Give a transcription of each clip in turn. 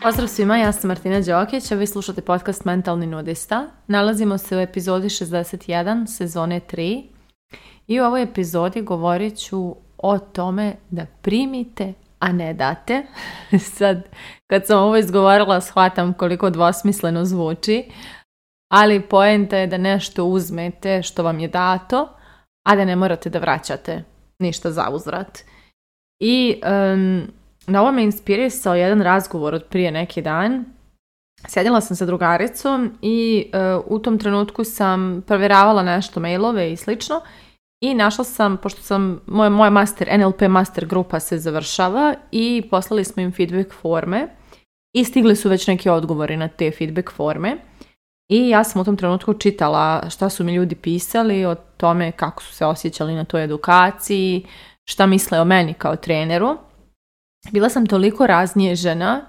Pozdrav svima, ja sam Martina Đokić, a vi slušate podcast Mentalni nudista. Nalazimo se u epizodi 61, sezone 3. I u ovoj epizodi govorit ću o tome da primite, a ne date. Sad, kad sam ovo izgovorila, shvatam koliko dvosmisleno zvuči, ali poenta je da nešto uzmete što vam je dato, a da ne morate da vraćate ništa za uzvrat. I na ovo me inspirisao jedan razgovor od prije neki dan. Sjedila sam sa drugaricom i u tom trenutku sam provjeravala nešto, mailove i slično, i našla sam, pošto sam, moja NLP master grupa se završava i poslali smo im feedback forme i stigli su već neki odgovori na te feedback forme. I ja sam u tom trenutku čitala šta su mi ljudi pisali o tome kako su se osjećali na toj edukaciji, šta misle o meni kao treneru. Bila sam toliko raznježena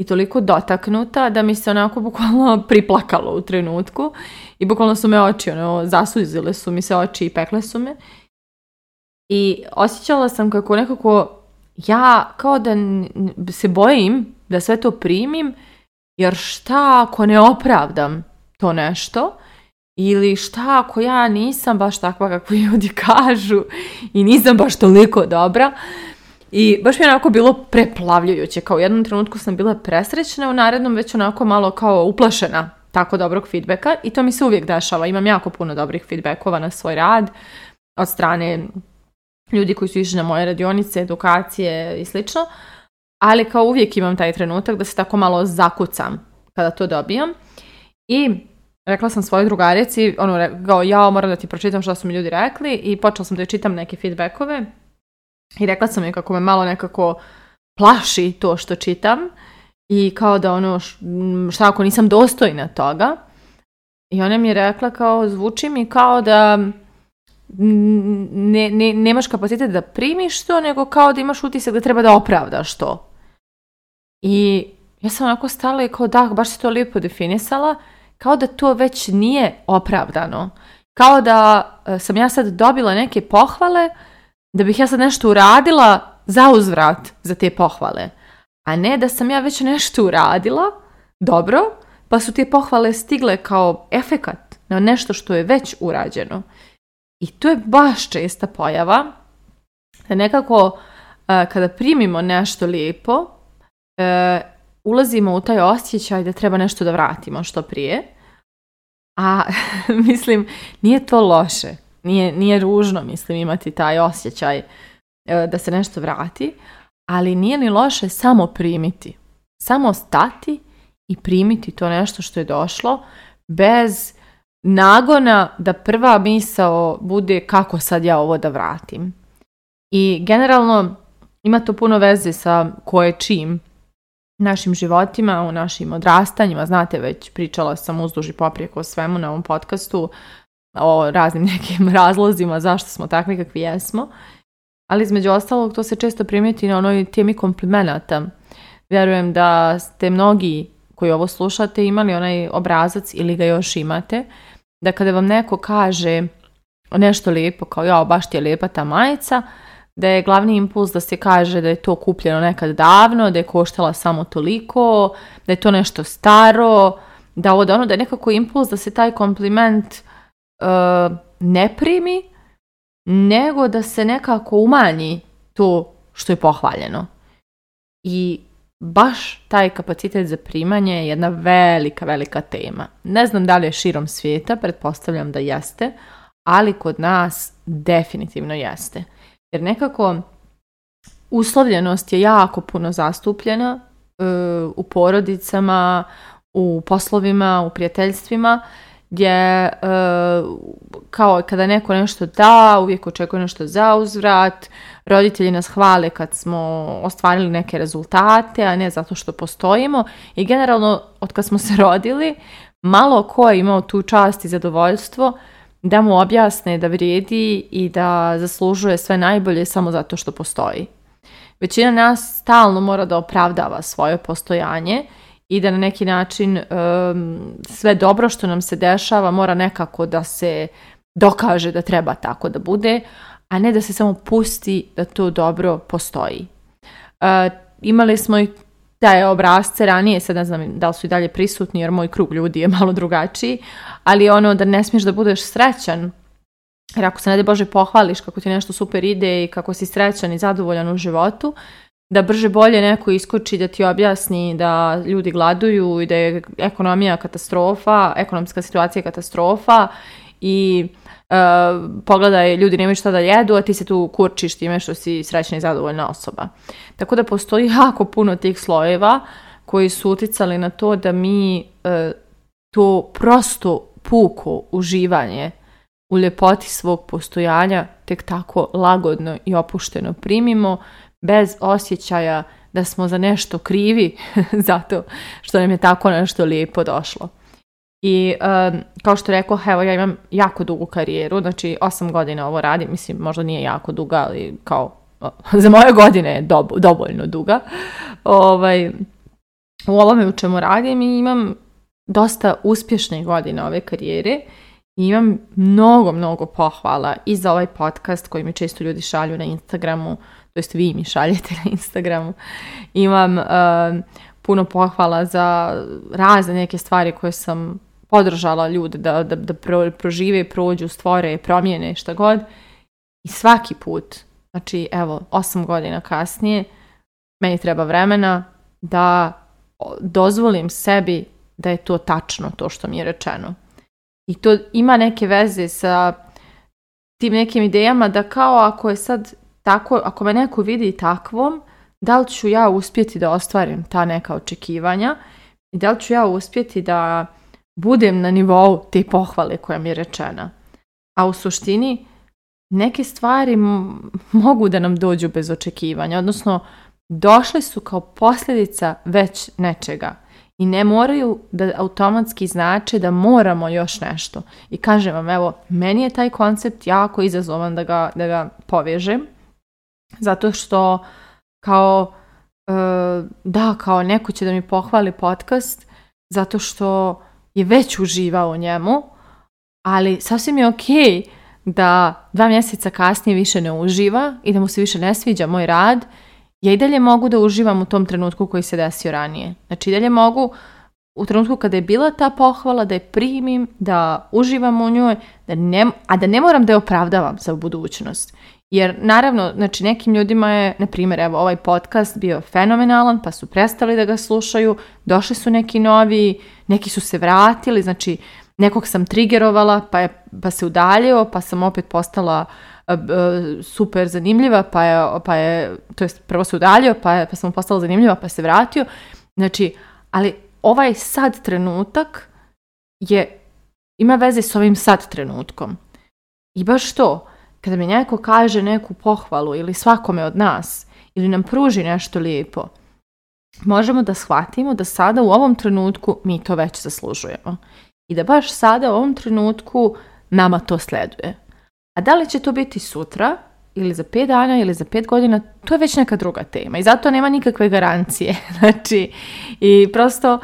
i toliko dotaknuta da mi se onako bukvalno priplakalo u trenutku i bukvalno su me oči, zasuzile su mi se oči i pekle su me. I osjećala sam kako nekako ja kao da se bojim da sve to primim, jer šta ako ne opravdam to nešto, ili šta ako ja nisam baš takva kako ljudi kažu i nisam baš toliko dobra. I baš mi je onako bilo preplavljujuće, kao u jednom trenutku sam bila presrećna, u narednom već onako malo kao uplašena tako dobrog feedbacka, i to mi se uvijek dešava. Imam jako puno dobrih feedbackova na svoj rad od strane ljudi koji su išli na moje radionice, edukacije i slično, ali kao uvijek imam taj trenutak da se tako malo zakucam kada to dobijam. I rekla sam svojoj drugarici, kao ja moram da ti pročitam što su mi ljudi rekli, i počela sam da čitam neke feedbackove. I rekla sam joj kako me malo nekako plaši to što čitam i kao da šta ako nisam dostojna toga. I ona mi je rekla kao, zvuči mi kao da nemaš kapacitet da primiš to, nego kao da imaš utisak da treba da opravdaš to. I ja sam onako stala i kao da, baš si to lijepo definisala, kao da to već nije opravdano. Kao da sam ja sad dobila neke pohvale, da bih ja sad nešto uradila za uzvrat za te pohvale. A ne da sam ja već nešto uradila, dobro, pa su te pohvale stigle kao efekat na nešto što je već urađeno. I to je baš česta pojava, da nekako kada primimo nešto lijepo, ulazimo u taj osjećaj da treba nešto da vratimo što prije. A mislim, nije to loše. Nije ružno, mislim, imati taj osjećaj da se nešto vrati, ali nije ni loše samo primiti. Samo stati i primiti to nešto što je došlo, bez nagona da prva misao bude kako sad ja ovo da vratim. I generalno ima to puno veze sa koje čim našim životima, u našim odrastanjima. Znate, već pričala sam uzduž i poprijeko o svemu na ovom podcastu, o raznim nekim razlozima zašto smo takvi kakvi jesmo, ali između ostalog to se često primijeti na onoj temi komplimenata. Vjerujem da ste mnogi koji ovo slušate imali onaj obrazac ili ga još imate, da kada vam neko kaže nešto lijepo, kao ja, baš ti je lijepa ta majica, da je glavni impuls da se kaže da je to kupljeno nekad davno, da je koštala samo toliko, da je to nešto staro, da je nekako impuls da se taj kompliment ne primi, nego da se nekako umanji to što je pohvaljeno. I baš taj kapacitet za primanje je jedna velika, velika tema. Ne znam da li je širom svijeta, pretpostavljam da jeste, ali kod nas definitivno jeste. Jer nekako uslovljenost je jako puno zastupljena u porodicama, u poslovima, u prijateljstvima, gdje kao kada neko nešto da, uvijek očekuje nešto za uzvrat, roditelji nas hvale kad smo ostvarili neke rezultate, a ne zato što postojimo, i generalno od kad smo se rodili, malo ko je imao tu čast i zadovoljstvo da mu objasne da vrijedi i da zaslužuje sve najbolje samo zato što postoji. Većina nas stalno mora da opravdava svoje postojanje i da na neki način sve dobro što nam se dešava mora nekako da se dokaže da treba tako da bude, a ne da se samo pusti da to dobro postoji. Imali smo i te obrasce ranije, sad ne znam da li su i dalje prisutni jer moj krug ljudi je malo drugačiji, ali ono da ne smiješ da budeš srećan, jer ako se ne daj Bože pohvališ kako ti nešto super ide i kako si srećan i zadovoljan u životu, da brže bolje neko iskoči da ti objasni da ljudi gladuju i da je ekonomija katastrofa, ekonomska situacija katastrofa i pogledaj, ljudi nemaju šta da jedu, a ti se tu kurčiš time što si srećna i zadovoljna osoba. Tako da postoji jako puno tih slojeva koji su uticali na to da mi to prosto puko uživanje u ljepoti svog postojanja tek tako lagodno i opušteno primimo, bez osjećaja da smo za nešto krivi zato što nam je tako nešto lijepo došlo. I kao što rekao, evo ja imam jako dugu karijeru, znači 8 godina ovo radim, mislim možda nije jako duga, ali kao za moje godine je dovoljno duga. U ovome u čemu radim i imam dosta uspješne godine ove karijere i imam mnogo pohvala i za ovaj podcast koji mi često ljudi šalju na Instagramu, to jest vi mi šaljete na Instagramu. Imam puno pohvala za razne neke stvari koje sam podržala ljude da prožive, prođu, stvore, promijene, šta god. I svaki put, znači evo 8 godina kasnije, meni treba vremena da dozvolim sebi da je to tačno, to što mi je rečeno. I to ima neke veze sa tim nekim idejama da kao ako je sad tako, ako me neko vidi takvom, da li ću ja uspjeti da ostvarim ta neka očekivanja i da li ću ja uspjeti da budem na nivou te pohvale koja mi je rečena. A u suštini neke stvari mogu da nam dođu bez očekivanja, odnosno došle su kao posljedica već nečega i ne moraju da automatski znače da moramo još nešto. I kažem vam, evo, meni je taj koncept jako izazovan da ga povežem, zato što kao neko će da mi pohvali podcast zato što je već uživao u njemu, ali sasvim je okej da 2 mjeseca kasnije više ne uživa i da mu se više ne sviđa moj rad. Ja i dalje mogu da uživam u tom trenutku koji se desio ranije. Znači i dalje mogu u trenutku kada je bila ta pohvala da je primim, da uživam u njoj, a da ne moram da je opravdavam za budućnost. Jer naravno, znači nekim ljudima je, na primjer, evo ovaj podcast bio fenomenalan, pa su prestali da ga slušaju, došli su neki novi, neki su se vratili, znači nekog sam trigerovala, pa se udaljio, pa sam opet postala super zanimljiva, pa je to jest prvo se udaljio, pa sam postala zanimljiva, pa se vratio. Znači, ali ovaj sad trenutak ima veze s ovim sad trenutkom. I baš to, kada mi neko kaže neku pohvalu ili svakome od nas, ili nam pruži nešto lijepo, možemo da shvatimo da sada u ovom trenutku mi to već zaslužujemo. I da baš sada u ovom trenutku nama to sleduje. A da li će to biti sutra, ili za 5 dana, ili za 5 godina, to je već neka druga tema. I zato nema nikakve garancije. Znači, i prosto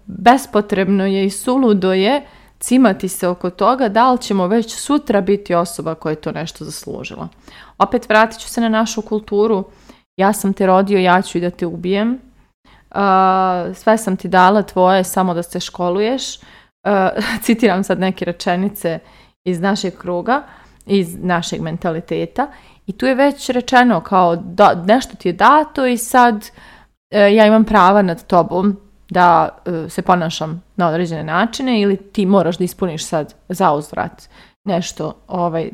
bespotrebno je i suludo je cimati se oko toga da li ćemo već sutra biti osoba koja je to nešto zaslužila. Opet vratit ću se na našu kulturu. Ja sam te rodio, ja ću i da te ubijem. Sve sam ti dala tvoje, samo da se školuješ. Citiram sad neke rečenice iz našeg kruga, iz našeg mentaliteta. I tu je već rečeno kao nešto ti je dato i sad ja imam prava nad tobom da se ponašam na određene načine ili ti moraš da ispuniš sad zauzvrat nešto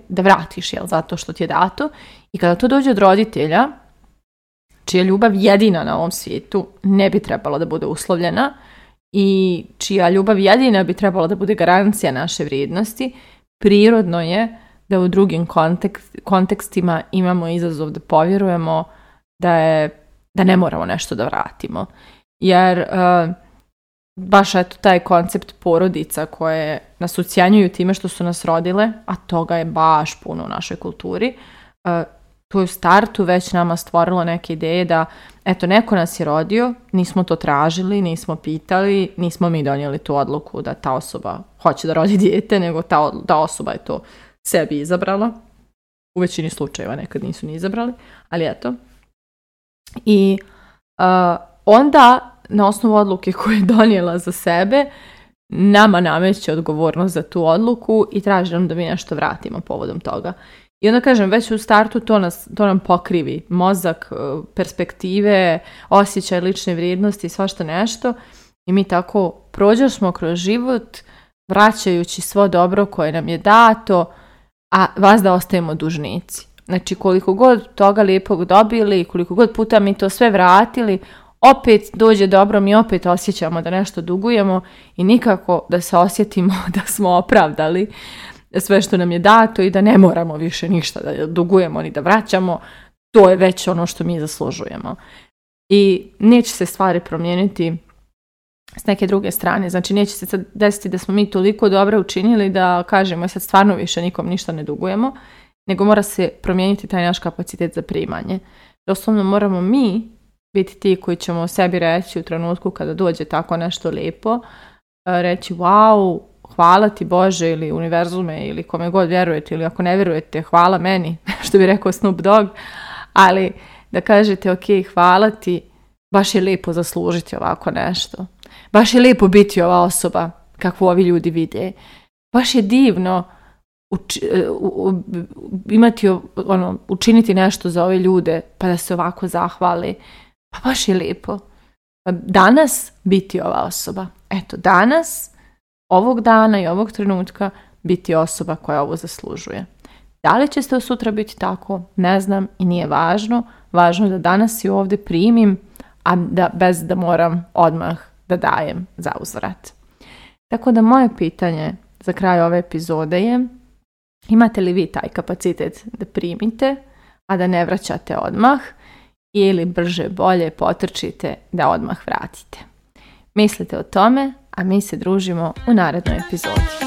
da vratiš, zato što ti je dato. I kada to dođe od roditelja, čija ljubav jedina na ovom svijetu ne bi trebala da bude uslovljena i čija ljubav jedina bi trebala da bude garancija naše vrijednosti, prirodno je da u drugim kontekstima imamo izazov da povjerujemo da ne moramo nešto da vratimo. Jer baš eto taj koncept porodica koje nas ucjenjuju time što su nas rodile, a toga je baš puno u našoj kulturi, to je u startu već nama stvorilo neke ideje da, eto, neko nas je rodio, nismo to tražili, nismo pitali, nismo mi donijeli tu odluku da ta osoba hoće da rodi dijete, nego ta osoba je to sebi izabrala. U većini slučajeva nekad nisu ni izabrali, ali eto. I onda, na osnovu odluke koju je donijela za sebe, nama nameće odgovornost za tu odluku i traži nam da mi nešto vratimo povodom toga. I onda kažem, već u startu to nam pokrivi mozak, perspektive, osjećaj lične vrijednosti i svašta nešto. I mi tako prođemo kroz život, vraćajući svo dobro koje nam je dato, a vas da ostajemo dužnici. Znači, koliko god toga lijepog dobili, koliko god puta mi to sve vratili, opet dođe dobro, mi opet osjećamo da nešto dugujemo i nikako da se osjetimo da smo opravdali sve što nam je dato i da ne moramo više ništa da dugujemo ni da vraćamo. To je već ono što mi zaslužujemo. I neće se stvari promijeniti s neke druge strane. Znači, neće se sad desiti da smo mi toliko dobro učinili da kažemo sad stvarno više nikom ništa ne dugujemo, nego mora se promijeniti taj naš kapacitet za primanje. Doslovno moramo mi biti ti koji ćemo sebi reći u trenutku kada dođe tako nešto lijepo, reći wow, hvala ti Bože ili univerzume ili kome god vjerujete ili ako ne vjerujete, hvala meni, što bi rekao Snoop Dogg, ali da kažete ok, hvala ti, baš je lijepo zaslužiti ovako nešto. Baš je lijepo biti ova osoba kakvu ovi ljudi vide. Baš je divno učiniti nešto za ove ljude pa da se ovako zahvali. Pa baš je lijepo. Danas biti ova osoba. Eto, danas, ovog dana i ovog trenutka biti osoba koja ovo zaslužuje. Da li će se sutra biti tako? Ne znam i nije važno. Važno je da danas i ovdje primim, a bez da moram odmah da dajem za uzvrat. Tako da moje pitanje za kraj ove epizode je: imate li vi taj kapacitet da primite, a da ne vraćate odmah, ili brže bolje potrčite da odmah vratite? Mislite o tome, a mi se družimo u narednoj epizodi.